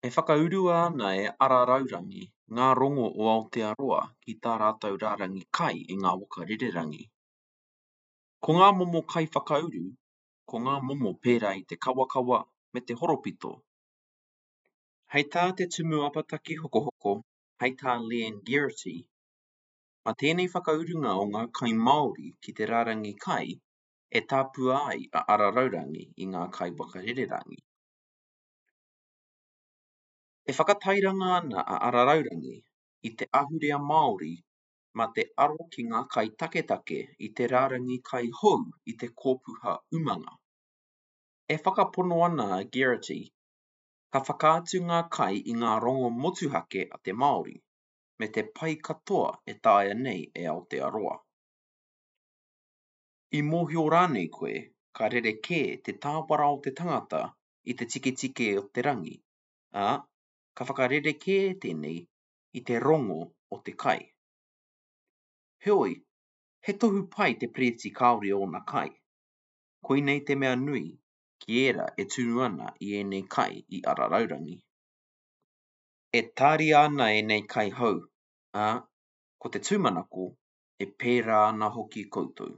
E whakaurua ana e Ara Raurangi ngā rongo o Aotearoa ki tā rātou rārangi kai i ngā waka rererangi. Ko ngā momo kai whakauru, ko ngā momo pērā i te kawakawa me te horopito. Hei tā te Tumu Apataki Hokohoko, hei tā Leanne Geraghty, mā tēnei whakaurunga o ngā kai Māori ki te rārangi kai e tāpua ai a Ara Raurangi i ngā kai waka rererangi. E whakatairanga ana a Ara Raurangi i te ahurea Māori mā te aro ki ngā kai taketake i te rārangi kai hou i te kōpuha umanga. E whakapono ana a Geraghty, ka whakaatu ngā kai i ngā rongo motuhake a te Māori, me te pai katoa e taea nei e Aotearoa. I mōhio rānei koe ka rerekē te tāwara o te tangata i te tiketike o te rangi, ā, ka whakarerekē tēnei i te rongo o te kai. Heoi, he tohu pai te pereti kāore ōna kai. Koinei te mea nui ki ērā e tunu ana i ēnei kai i Ara Raurangi. E tāria ana ēnei kai hou, ā, ko te tūmanako, e pērā ana hoki koutou.